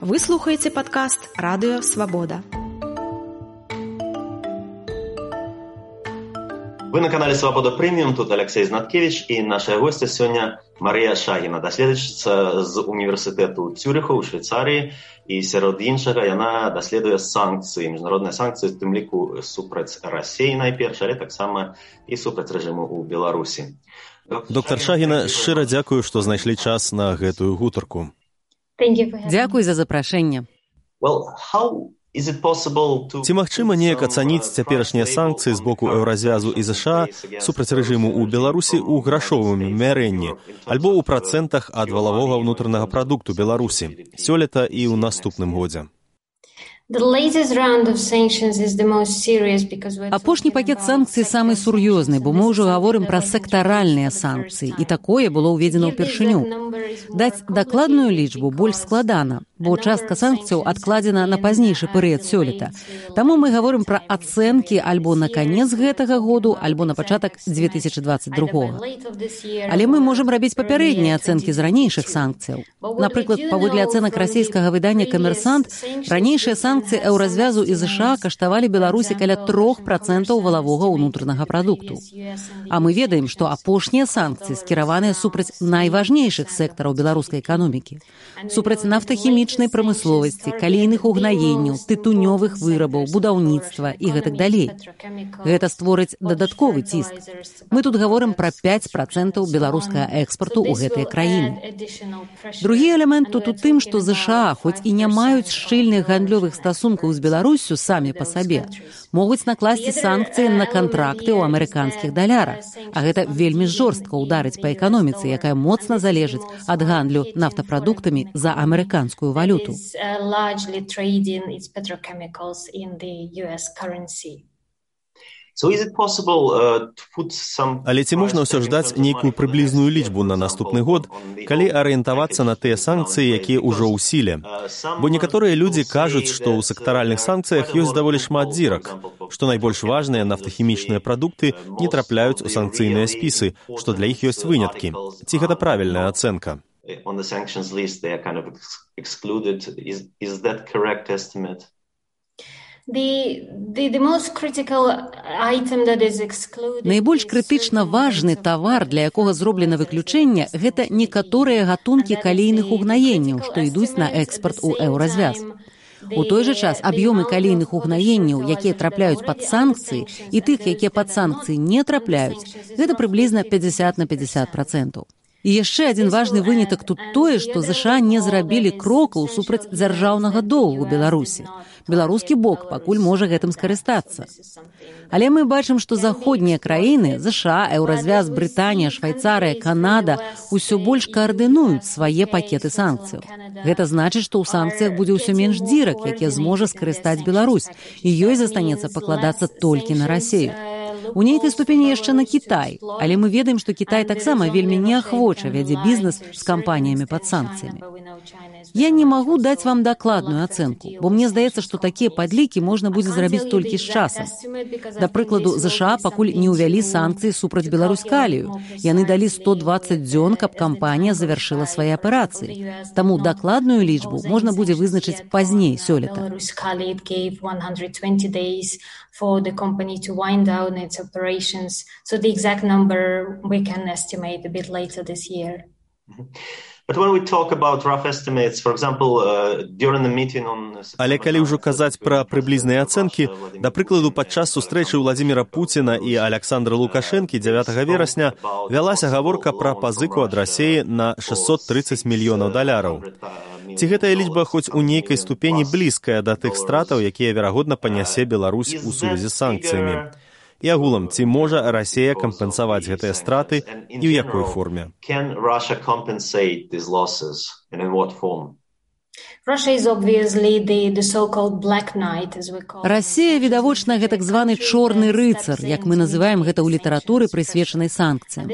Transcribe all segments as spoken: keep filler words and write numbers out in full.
Вы слухаеце падкаст «Радыё Свабода». Вы на канале «Свобода Премиум», тут Алексей Знаткевич, и наша гостья сегодня Мария Шагіна, даследчица з універсітету Цюріху у Швейцарии, и сярод іншага яна даследуе санкцыі, міжнародныя санкцыі, в тым ліку супраць Расіі найперш, але таксама і супраць рэжыму ў Беларусі. Доктор Шагіна, шчыра дзякую, што знайшлі час на гэтую гутарку. Дзякуй за запрашэнне. Well, how is it possible to... Ці магчыма неяк ацаніць цяперашнія санкцыі з боку Еўразвязу і ЗША супраць рэжыму ў Беларусі ў грашовым мярэнні альбо ў працэнтах ад валавога ўнутранага прадукту Беларусі сёлета і ў наступным годзе? Апошні пакет санкцый самы сур'ёзны, бо мы ўжо гаворым пра сектаральныя санкцыі, і такое было ўведзена ўпершыню. Даць дакладную лічбу больш складана, бо частка санкцыяў адкладзена на пазнейшы перыяд сёлета. Таму мы гаворым пра ацэнкі альбо на канец гэтага году, альбо на пачатак дзве тысячы дваццаць другога. Але мы можам рабіць папярэднія ацэнкі з ранейшых санкцыяў. Напрыклад, паводле ацэнак расійскага выдання «Камерсант», ранейшыя санкцыі Еўразвязу і ЗША каштавалі Беларусі каля трох працэнтаў валавога ўнутранага прадукту. А мы ведаем, што апошнія санкцыі скіраваныя супраць найважнейшых сектараў беларускай эканомікі. Супраць нафтахімічнай прамысловасці, калійных угнаенняў, тытунёвых вырабаў, будаўніцтва і гэтак далей. Гэта створыць дадатковы ціск. Мы тут гаворым пра пяць працэнтаў беларускага экспарту ў гэтыя краіны. Другі элемент тут у тым, што ЗША, хоць і не маюць шчыльных гандлёвых стасункаў з Беларуссю самі па сабе, могуць накласці санкцыі на кантракты ў амерыканскіх далярах. А гэта вельмі жорстка ўдарыць па эканоміцы, якая моцна залежыць ад гандлю нафтапрадуктамі за амерыканскую валюту. Але ці можна ўсё ж даць нейкую прыблізную лічбу на наступны год, калі арыентавацца на тыя санкцыі, якія ўжо ў сіле? Бо некаторыя людзі кажуць, што ў сектаральных санкцыях ёсць даволі шмат дзірак, што найбольш важныя нафтахімічныя прадукты не трапляюць у санкцыйныя спісы, што для іх ёсць выняткі. Ці гэта правільная ацэнка? Найбольш крытычна важны тавар, для якога зроблена выключэнне, гэта некаторыя гатункі калійных угнаенняў, што ідуць на экспарт у Еўразвяз. У той жа час аб'ёмы калійных угнаенняў, якія трапляюць пад санкцыі, і тых, якія пад санкцыі не трапляюць, гэта прыблізна пяцьдзясят на пяцьдзясят працэнтаў. І яшчэ адзін важны вынятак тут тое, што ЗША не зрабілі крокаў супраць дзяржаўнага доўгу Беларусі. Беларускі бок пакуль можа гэтым скарыстацца. Але мы бачым, што заходнія краіны, ЗША, Еўразвяз, Брытанія, Швайцарыя, Канада усё больш каардынуюць свае пакеты санкцыяў. Гэта значыць, што ў санкцыях будзе ўсё менш дзірак, якія зможа скарыстаць Беларусь, і ёй застанецца пакладацца толькі на Расію. У нейкай ступені яшчэ на Кітай, але мы ведаем, што Кітай таксама вельмі неахвоча вядзе бізнес з кампаніямі пад санкцыямі. Я не магу даць вам дакладную ацэнку, бо мне здаецца, што такія падлікі можна будзе зрабіць толькі з часам. Да прыкладу, ЗША пакуль не ўвялі санкцыі супраць Беларусь-Калію. Яны далі сто дваццаць дзён, каб кампанія завяршыла свае аперацыі. Таму дакладную лічбу можна будзе вызначыць пазней сёлета. For the company to wind down its operations. So the exact number we can estimate a bit later this year. But when we talk about rough estimates, for example, uh, during the meeting on... Але калі ўжо казаць пра прыблізныя ацэнкі, да прыкладу, падчас сустрэчы Владзіміра Пуціна і Аляксандра Лукашэнкі дзявятага верасня вялася гаворка пра пазыку ад Расіі на шэсцьсот трыццаць мільёнаў даляраў. Ці гэтая лічба хоць у нейкай ступені блізкая да тых стратаў, якія, верагодна, панясе Беларусь у сувязі з санкцыямі? І агулам, ці можа Расія кампенсаваць гэтыя страты і ў якой форме? Can Russia compensate these losses and in what form? Расія, відавочна, гэтак званы чорны рыцар, як мы называем гэта ў літаратуры, прысвечанай санкцыям.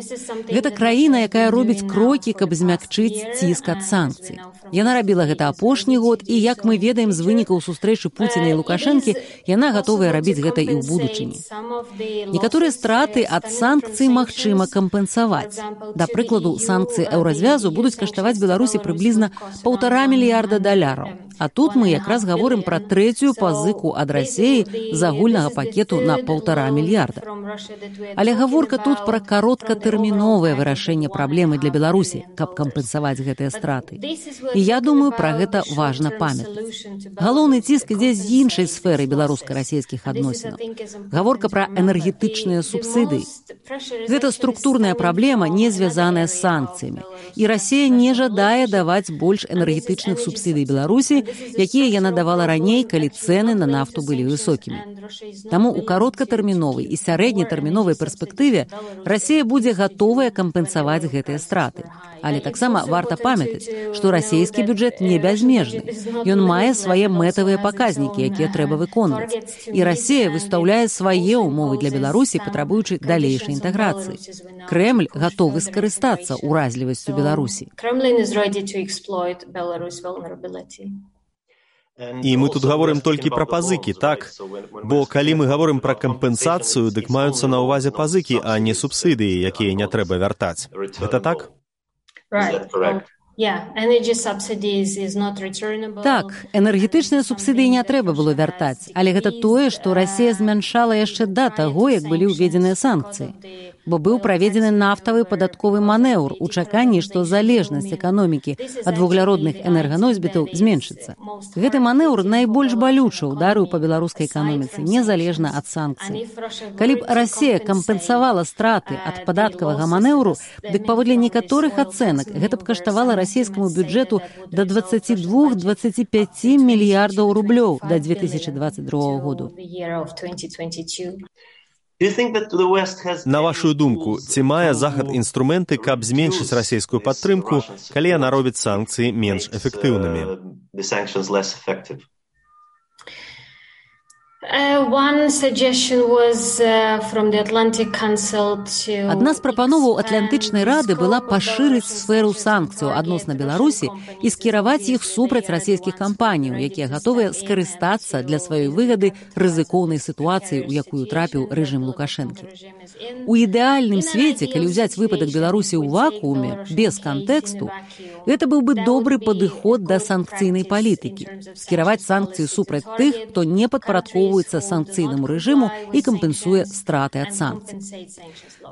Гэта краіна, якая робіць крокі, каб змякчыць ціск ад санкцый. Яна рабіла гэта апошні год, і, як мы ведаем з вынікаў сустрэчы Пуціна і Лукашэнкі, яна гатовая рабіць гэта і ў будучыні. Некаторыя страты ад санкцый магчыма кампенсаваць. Да прыкладу, санкцыі Еўразвязу будуць каштаваць Беларусі прыблізна паўтара мільярда даляраў. А тут мы якраз гаворым пра трэцюю пазыку ад Расіі з агульнага пакету на паўтара мільярда. Але гаворка тут пра кароткатэрміновае вырашэнне праблемы для Беларусі, каб кампенсаваць гэтыя страты. І я думаю, пра гэта важна памятаць. Галоўны ціск ідзе з іншай сферы беларуска-расійскіх адносінаў. Гаворка пра энергетычныя субсідыі. Гэта структурная праблема, не звязаная з санкцыямі. І Расія не жадае даваць больш энергетычных субсідый Беларусі, якія яна давала раней, калі цэны на нафту былі высокімі. Таму ў кароткатэрміновай і сярэднетэрміновай перспектыве Расія будзе гатовая кампенсаваць гэтыя страты. Але таксама варта памятаць, што расійскі бюджэт не бязмежны. Ён мае свае мэтавыя паказнікі, якія трэба выконваць. І Расія выстаўляе свае ўмовы для Беларусі, патрабуючы далейшай інтэграцыі. Крэмль гатовы скарыстацца ўразлівасцю Беларусі. І мы тут гаворым толькі пра пазыкі, так? Бо калі мы гаворым пра кампенсацыю, дык маюцца на ўвазе пазыкі, а не субсідыі, якія не трэба вяртаць. Гэта так? Right. Yeah, energy subsidies is not returnable. Так, энергетычныя субсідыі не трэба было вяртаць, але гэта тое, што Расія змяншала яшчэ да таго, як былі ўведзеныя санкцыі. Бо быў праведзены нафтавы падатковы манеўр у чаканні, што залежнасць эканомікі ад вугляродных энерганосьбітаў зменшыцца. Гэты манеўр найбольш балюча ўдарыў па беларускай эканоміцы, незалежна ад санкцый. Калі б Расія кампенсавала страты ад падаткавага манеўру, дык паводле некаторых ацэнак гэта б каштавала расійскаму бюджэту да дваццаць два - дваццаць пяць мільярдаў рублёў да две тысячы дваццаць другога году. На вашу думку, ці мае Захад інструменты, каб зменшыць расійскую падтрымку, калі яна робіць санкцыі менш эфектыўнымі? Адна з прапановаў Атлантычнай рады была пашырыць сферу санкцыяў адносна Беларусі і скіраваць іх супраць расійскіх кампаніяў, якія гатовыя скарыстацца для сваёй выгады рызыкоўнай сітуацыі, у якую трапіў рэжым Лукашэнкі. У ідэальным свеце, калі ўзяць выпадак Беларусі ў вакууме, без кантэксту, гэта быў бы добры падыход да санкцыйнай палітыкі. Скіраваць санкцыі супраць тых, хто не падпарадкоўваецца санкцыйнаму рэжыму і кампенсуе страты ад санкцый.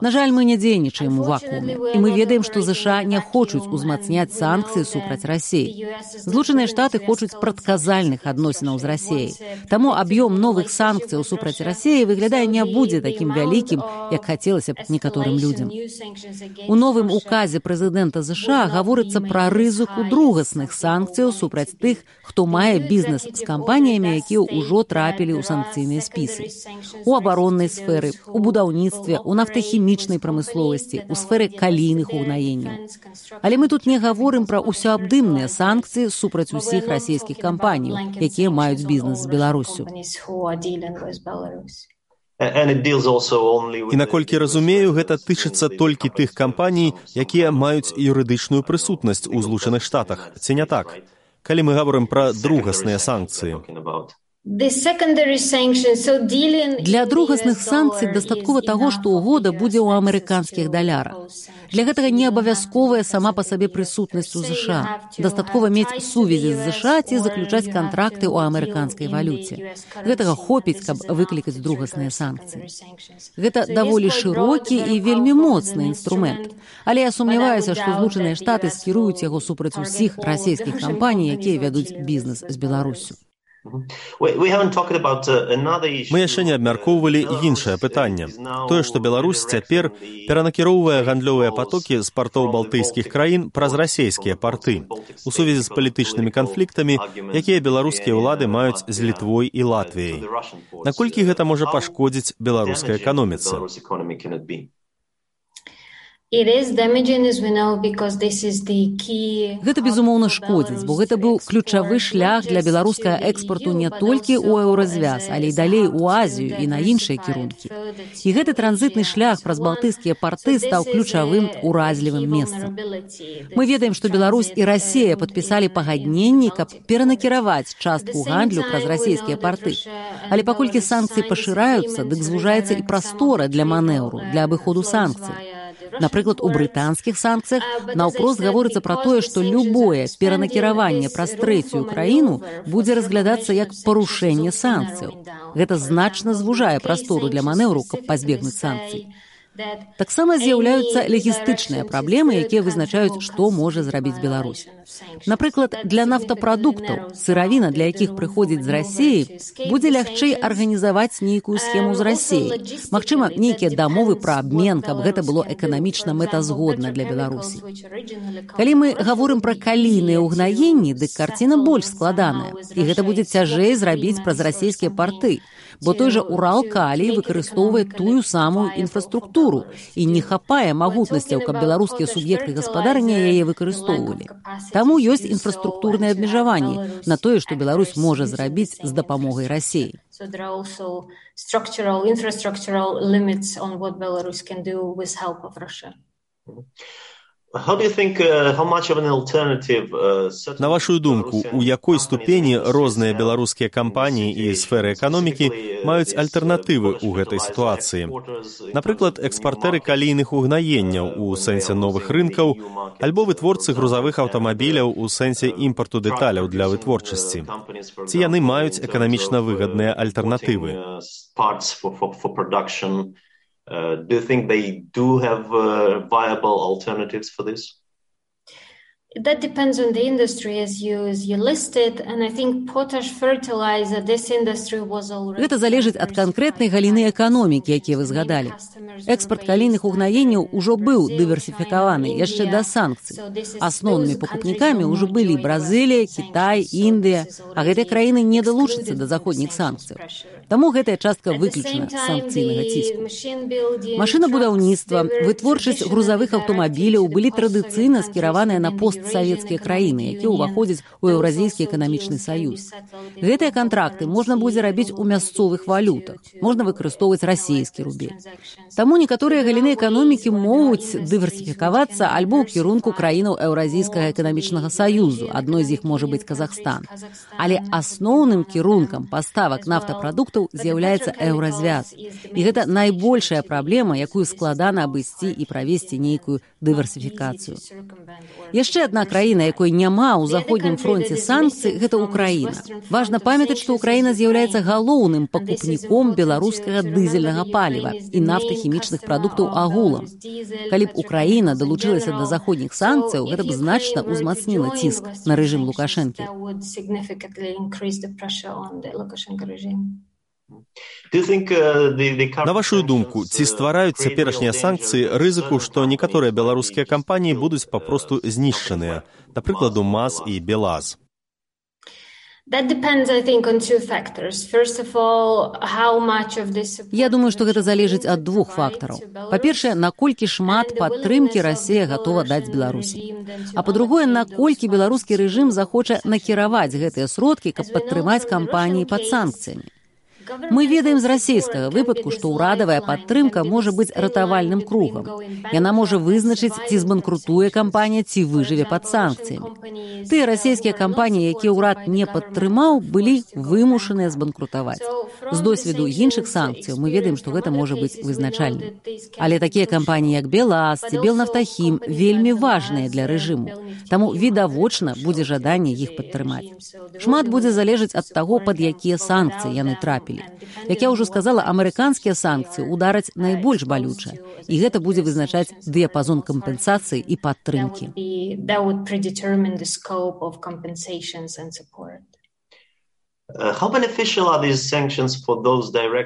На жаль, мы не дзейнічаем у вакууме, і мы ведаем, што ЗША не хочуць узмацняць санкцыі супраць Расіі. Злучаныя Штаты хочуць прадказальных адносінаў з Расіяй. Таму аб'ём новых санкцыяў супраць Расіі выглядае не будзе такім вялікім, як хацелася б некаторым людзям. У новым указе прэзідэнта ЗША гаворыцца пра рызыку другасных санкцыяў супраць тых, хто мае бізнес з кампаніямі, якія ўжо трапілі ў санкцыйныя спісы. У абароннай сферы, у будаўніцтве, у нафтахімічнай прамысловасці, у сферы калійных угнаенняў. Але мы тут не гаворым пра ўсеабдымныя санкцыі супраць усіх расійскіх кампаніяў, якія маюць бізнес з Беларуссю. І наколькі разумею, гэта тычыцца толькі тых кампаній, якія маюць юрыдычную прысутнасць у Злучаных Штатах, ці не так? Калі мы гаворым пра другасныя санкцыі. Для другасных санкцый дастаткова таго, што угода будзе ў амерыканскіх далярах. Для гэтага не абавязковая сама па сабе прысутнасць у ЗША. Дастаткова мець сувязі з ЗША ці заключаць кантракты ў амерыканскай валюце. Гэтага хопіць, каб выклікаць другасныя санкцыі. Гэта даволі шырокі і вельмі моцны інструмент. Але я сумняваюся, што Злучаныя Штаты скіруюць яго супраць усіх расійскіх кампаній, якія вядуць бізнес з Беларуссю. Мы яшчэ не абмяркоўвалі іншае пытанне. Тое, што Беларусь цяпер перанакіроўвае гандлёвыя патокі з партоў балтыйскіх краін праз расійскія парты у сувязі з палітычнымі канфліктамі, якія беларускія ўлады маюць з Літвой і Латвіяй. Наколькі гэта можа пашкодзіць беларускай эканоміцы? Гэта, безумоўна, шкодзіць, бо гэта быў ключавы шлях для беларускага экспарту не толькі ў еўразвяз, але і далей у Азію і на іншыя кірункі. І гэты транзітны шлях праз балтыйскія парты стаў ключавым уразлівым месцам. Мы ведаем, што Беларусь і Расія падпісалі пагадненні, каб перанакіраваць частку гандлю праз расійскія парты. Але паколькі санкцыі пашыраюцца, дык звужаецца і прастора для манеўру, для абыходу санкцый. Напрыклад, у брытанскіх санкцыях наўпрост гаворыцца пра тое, што любое перанакіраванне праз трэцюю краіну будзе разглядацца як парушэнне санкцыяў. Гэта значна звужае прастору для манеўру, каб пазбегнуць санкцый. Таксама з'яўляюцца лагістычныя праблемы, якія вызначаюць, што можа зрабіць Беларусь. Напрыклад, для нафтапрадуктаў, сыравіна, для якіх прыходзіць з Расіі, будзе лягчэй арганізаваць нейкую схему з Расіяй. Магчыма, нейкія дамовы пра абмен, каб гэта было эканамічна мэтазгодна для Беларусі. Калі мы гаворым пра калійныя ўгнаенні, дык карціна больш складаная, і гэта будзе цяжэй зрабіць праз расійскія парты, бо той жа Урал-Калій выкарыстоўвае тую самую інфраструктуру і не хапае магутнасцяў, каб беларускія суб'екты гаспадарання яе выкарыстоўвалі. Таму ёсць інфраструктурныя абмежаванні на тое, што Беларусь можа зрабіць з дапамогай Расіі. So there are also structural, infrastructural limits on what Belarus can do with help of Russia. How do you think, uh, how much of an alternative, uh, На вашу думку, у якой ступені розныя беларускія кампаніі і сферы эканомікі маюць альтэрнатывы ў гэтай сітуацыі? Напрыклад, экспартэры калійных угнаенняў у сэнсе новых рынкаў, альбо вытворцы грузавых аўтамабіляў у сэнсе імпарту дэталяў для вытворчасці. Ці яны маюць эканамічна выгадныя альтэрнатывы? Uh, do you think they do have uh, viable alternatives for this? That depends on the industry as you, as you listed, and I think potash fertilizer, this industry was already... Гэта залежыць ад канкрэтнай галіны эканомікі, якія вы згадалі. Экспарт калійных угнаенняў ужо быў дыверсіфікаваны яшчэ да санкцый. Асноўнымі пакупнікамі ўжо былі Бразылія, Кітай, Індыя, а гэтыя краіны не далучацца да заходніх санкцыяў. Таму гэтая частка выключана з санкцыйнага ціску. Машынабудаўніцтва, вытворчасць грузавых аўтамабіляў былі традыцыйна скіраваныя на постсавецкія краіны, якія ўваходзяць у Еўразійскі эканамічны саюз. Гэтыя кантракты можна будзе рабіць у мясцовых валютах, можна выкарыстоўваць расійскі рубель. Таму некаторыя галіны эканомікі могуць дыверсіфікавацца альбо ў кірунку краінаў Еўразійскага эканамічнага саюзу, адной з іх можа быць Казахстан. Але асноўным кірункам паставак нафтапрадуктаў з'яўляецца еўразвяз. І гэта найбольшая праблема, якую складана абысці і правесці нейкую дыверсіфікацыю. Яшчэ адна краіна, якой няма ў заходнім фронце санкцый, гэта Украіна. Важна памятаць, што Украіна з'яўляецца галоўным пакупніком беларускага дызельнага паліва і нафтахімічных прадуктаў агулам. Калі б Украіна далучылася да заходніх санкцыяў, гэта б значна ўзмацніла ціск на рэжым Лукашэнкі. На вашу думку, ці ствараюць цяперашнія санкцыі рызыку, што некаторыя беларускія кампаніі будуць папросту знішчаныя, напрыклад, МАЗ і БелАЗ? Я думаю, што гэта залежыць ад двух фактараў. Па-першае, наколькі шмат падтрымкі Расія гатова даць Беларусі. А па-другое, наколькі беларускі рэжым захоча накіраваць гэтыя сродкі, каб падтрымаць кампаніі пад санкцыямі. Мы ведаем з расійскага выпадку, што ўрадавая падтрымка можа быць ратавальным кругам. Яна можа вызначыць, ці збанкрутуе кампанія, ці выжыве пад санкцыямі. Тыя расійскія кампаніі, якія ўрад не падтрымаў, былі вымушаныя збанкрутаваць. З досведу іншых санкцыяў мы ведаем, што гэта можа быць вызначальным. Але такія кампаніі, як БелАЗ ці Белнафтахім, вельмі важныя для рэжыму. Таму відавочна будзе жаданне іх падтрымаць. Шмат будзе залежаць ад таго, пад якія санкцыі яны трапілі. Як я ўжо сказала, амерыканскія санкцыі удараць найбольш балюча, і гэта будзе вызначаць дыяпазон кампенсацыі і падтрымкі.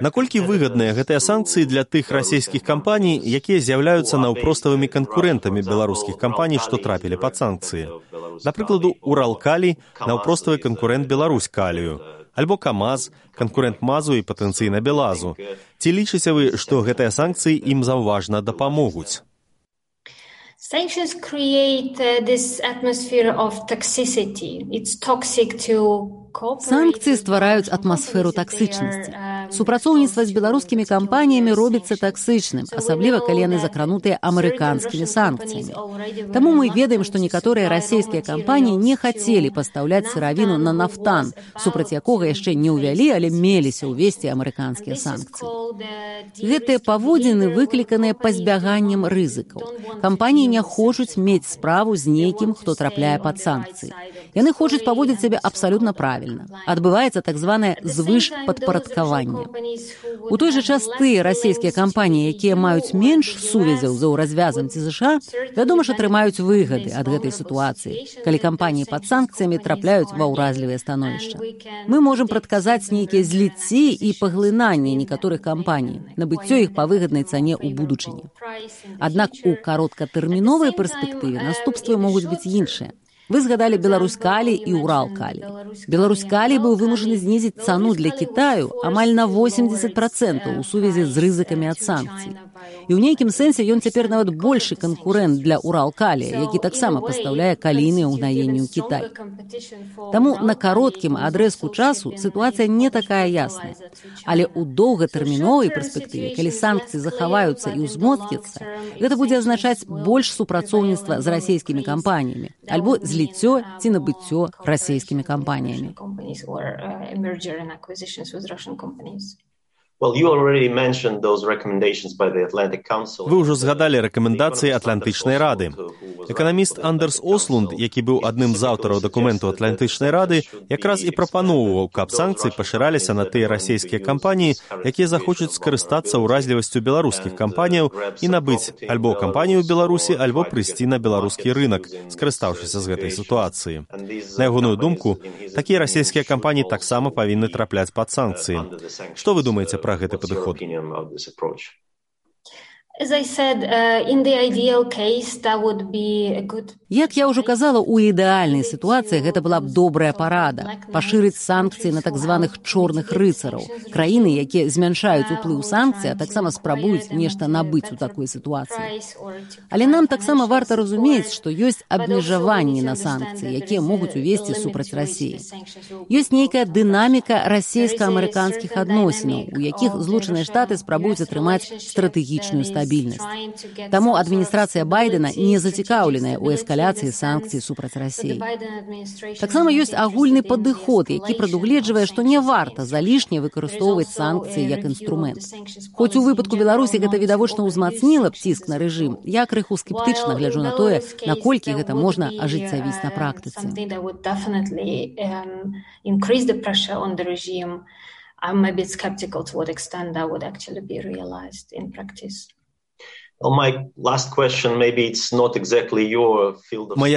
Наколькі выгадныя гэтыя санкцыі для тых расійскіх кампаній, якія з'яўляюцца наўпроставымі канкурэнтамі беларускіх кампаній, што трапілі пад санкцыі? Напрыкладу, Урал-Калій – наўпроставы канкурэнт Беларусь-Калію, альбо КамАЗ, канкурэнт МАЗу і патэнцыйна БелАЗу. Ці лічыце вы, што гэтыя санкцыі ім заўважна дапамогуць? Sanctions create uh, this atmosphere of toxicity. It's toxic to Санкцыі ствараюць атмасферу таксычнасці. Супрацоўніцтва з беларускімі кампаніямі робіцца таксычным, асабліва калі яны закранутыя амерыканскімі санкцыямі. Таму мы ведаем, што некаторыя расійскія кампаніі не хацелі пастаўляць сыравіну на нафтан, супраць якога яшчэ не ўвялі, але меліся ўвесці амерыканскія санкцыі. Гэтыя паводзіны выкліканыя пазбяганнем рызыкаў. Кампаніі не хочуць мець справу з нейкім, хто трапляе пад санкцыі. Яны хочуць паводзіць сябе абсалютна правільна. Адбываецца так званае звышпадпарадкаванне. У той жа час тыя расійскія кампаніі, якія маюць менш сувязяў за ўразвязам ці ЗША, вядома ж, атрымаюць выгады ад гэтай сітуацыі, калі кампаніі пад санкцыямі трапляюць ва ўразлівыя становішча. Мы можам прадказаць нейкія зліцці і паглынанне некаторых кампаній, набыццё іх па выгаднай цане ў будучыні. Аднак у кароткатэрміновай перспектыве наступствы могуць быць іншыя. Вы згадалі Беларусь-Калій і Урал-Калій. Беларусь-Калій быў вымушаны знізіць цану для Кітаю амаль на восемьдесят процентаў у сувязі з рызыкамі ад санкцый. І ў нейкім сэнсе ён цяпер нават большы канкурэнт для Урал-Калія, які таксама пастаўляе калійныя ўгнаенні ў Кітай. Таму на кароткім адрэзку часу сітуацыя не такая ясная. Але ў доўгатэрміновай перспектыве, калі санкцыі захаваюцца і ўзмоцняцца, гэта будзе азначаць больш супрацоўніцтва з расійскімі кампаніямі, альбо зліццё ці набыццё расійскімі кампаніямі. Вы ўжо згадалі рэкамендацыі Атлантычнай рады. Эканаміст Андерс Ослунд, які быў адным з аўтараў дакументу Атлантычнай рады, якраз і прапаноўваў, каб санкцыі пашыраліся на тыя расійскія кампаніі, якія захочуць скарыстацца ўразлівасцю беларускіх кампаніяў і набыць альбо кампанію ў Беларусі, альбо прыйсці на беларускі рынак, скарыстаўшыся з гэтай сітуацыі. На ягоную думку, такія расійскія кампаніі таксама павінны трапляць пад санкцыі. Што вы думаеце пра гэты падыход? Як я ўжо казала, у ідэальнай сітуацыі гэта была б добрая парада – пашырыць санкцыі на так званых чорных рыцараў, краіны, якія змяншаюць уплыў санкцый, а таксама спрабуюць нешта набыць у такой сітуацыі. Але нам таксама варта разумець, што ёсць абмежаванні на санкцыі, якія могуць увесці супраць Расіі. Ёсць нейкая дынаміка расійска-амерыканскіх адносінаў, у якіх Злучаныя Штаты спрабуюць атрымаць стратэгічную стабільнасць. Таму адміністрацыя Байдена не зацікаўленая ў эскаляцыі санкцый супраць Расіі. Таксама ёсць агульны падыход, які прадугледжвае, што не варта залішне выкарыстоўваць санкцыі як інструмент. Хоць у выпадку Беларусі гэта відавочна ўзмацніла б ціск на рэжым, я крыху скептычна гляджу на тое, наколькі гэта можна ажыццявіць на практыцы. I'm a bit skeptical to what extent that would actually be realized in practice. Мае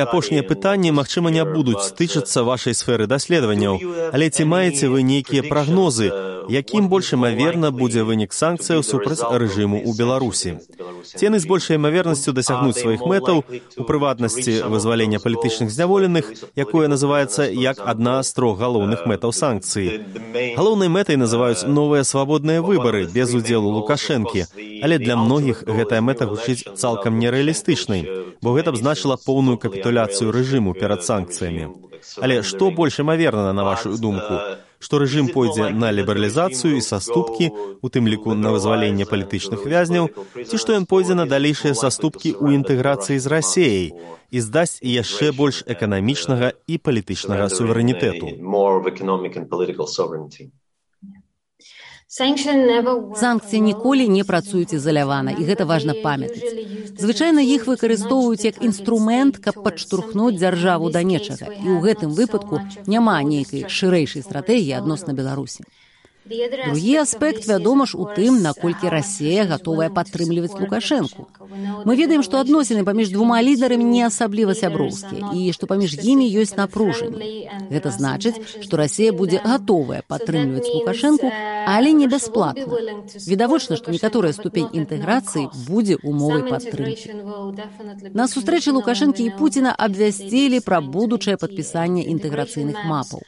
апошнія пытанні, магчыма, не будуць стычыцца вашай сферы даследаванняў, але ці маеце вы нейкія прагнозы, якім больш імаверна будзе вынік санкцыяў супраць рэжыму ў Беларусі? Ці яны з большай імавернасцю дасягнуць сваіх мэтаў, у прыватнасці вызвалення палітычных зняволеных, якое называецца як адна з трох галоўных мэтаў санкцыі. Галоўнай мэтай называюць новыя свабодныя выбары без удзелу Лукашэнкі, але для многіх гэтая мэта гучыць цалкам нерэалістычнай, бо гэта б значыла поўную капітуляцыю рэжыму перад санкцыямі. Але што больш імаверна, на вашу думку? Што рэжым пойдзе на лібералізацыю і саступкі, у тым ліку на вызваленне палітычных вязняў, ці што ён пойдзе на далейшыя саступкі ў інтэграцыі з Расіяй і здасць яшчэ больш эканамічнага і палітычнага суверэнітэту? Санкцыі ніколі не працуюць ізалявана, і гэта важна памятаць. Звычайна іх выкарыстоўваюць як інструмент, каб падштурхнуць дзяржаву да нечага, і ў гэтым выпадку няма нейкай шырэйшай стратэгіі адносна Беларусі. Другі аспект, вядома ж, у тым, наколькі Расія гатовая падтрымліваць Лукашэнку. Мы ведаем, што адносіны паміж двума лідарамі не асабліва сяброўскія і што паміж імі ёсць напружанне. Гэта значыць, што Расія будзе гатовая падтрымліваць Лукашэнку, але не бясплатна. Відавочна, што некаторая ступень інтэграцыі будзе умовай падтрымкі. На сустрэчы Лукашэнкі і Пуціна абвясцілі пра будучае падпісанне інтэграцыйных мапаў.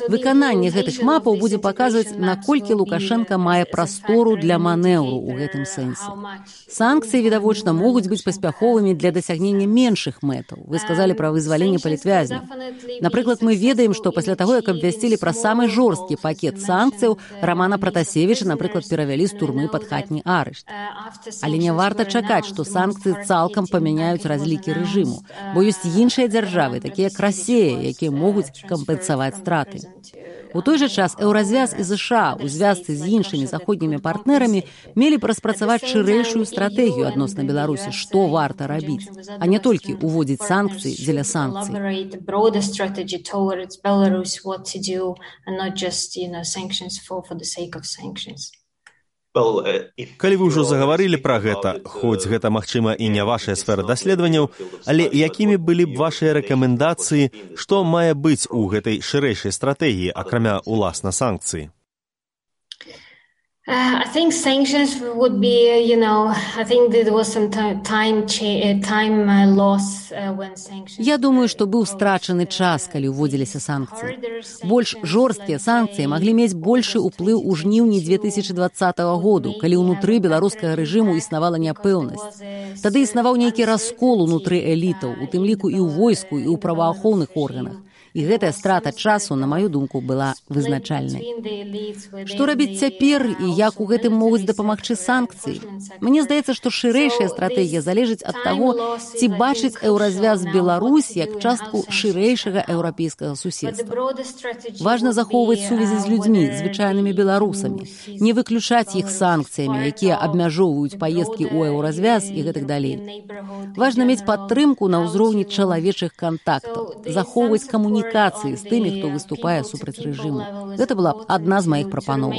Выкананне гэтых мапаў будзе паказваць, наколькі Лукашенка мае прастору для манеўру ў гэтым сэнсе. Санкцыі, відавочна, могуць быць паспяховымі для дасягнення меншых мэтаў. Вы сказалі пра вызваленне палітвязняў. Напрыклад, мы ведаем, што пасля таго, як абвясцілі пра самы жорсткі пакет санкцыяў, Рамана Пратасевіча, напрыклад, перавялі з турмы пад хатні арышт. Але не варта чакаць, што санкцыі цалкам памяняюць разлікі рэжыму, бо ёсць іншыя дзяржавы, такія як Расія, якія могуць кампенсаваць страты. У той жа час Еўразвяз і ЗША у звязцы з іншымі заходнімі партнерамі мелі б распрацаваць шырэйшую стратэгію адносна Беларусі, што варта рабіць, а не толькі ўводзіць санкцыі дзеля санкцый. Калі вы ўжо загаварылі пра гэта, хоць гэта, магчыма, і не вашая сфера даследаванняў, але якімі былі б вашыя рэкамендацыі, што мае быць у гэтай шырэйшай стратэгіі, акрамя уласна санкцыі? Uh, I think sanctions would be, you know, I think there was some time, time, time loss uh, when sanctions... Я думаю, што быў страчаны час, калі ўводзіліся санкцыі. Больш жорсткія санкцыі маглі мець большы ўплыў у жніўні две тысячы дваццатага году, калі ўнутры беларускага рэжыму існавала няпэўнасць. Тады існаваў нейкі раскол унутры элітаў, у тым ліку і ў войску, і ў праваахоўных органах. І гэтая страта часу, на маю думку, была вызначальнай. Што рабіць цяпер і як у гэтым могуць дапамагчы санкцыі? Мне здаецца, што шырэйшая стратэгія залежыць ад таго, ці бачыць Еўразвяз Беларусь як частку шырэйшага еўрапейскага суседства. Важна захоўваць сувязі з людзьмі, звычайнымі беларусамі, не выключаць іх санкцыямі, якія абмяжоўваюць паездкі ў Еўразвяз і гэтак далей. Важна мець падтрымку на ўзроўні чалавечых кантактаў, захоўваць камунікацыю камунікацыі з тымі, хто выступае супраць рэжыму. Гэта была б адна з маіх прапановаў.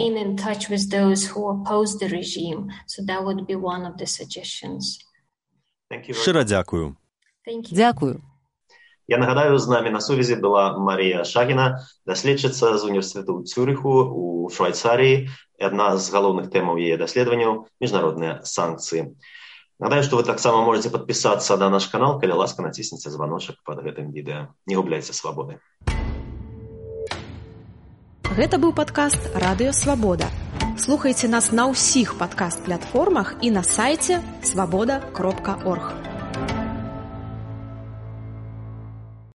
Шчыра дзякую. Дзякую. Я нагадаю, з намі на сувязі была Марія Шагіна, даследчыца з універсітэту ў Цюриху у Швайцарыі. Адна з галоўных тэмаў яе даследаванняў – міжнародныя санкцыі. Нагадаю, што вы таксама можаце падпісацца на наш канал, калі ласка націсніце званочак пад гэтым відэа. Не губляйце свабоды. Гэта быў падкаст «Радыё Свабода». Слухайце нас на ўсіх падкаст-платформах і на сайце свабода кропка орг.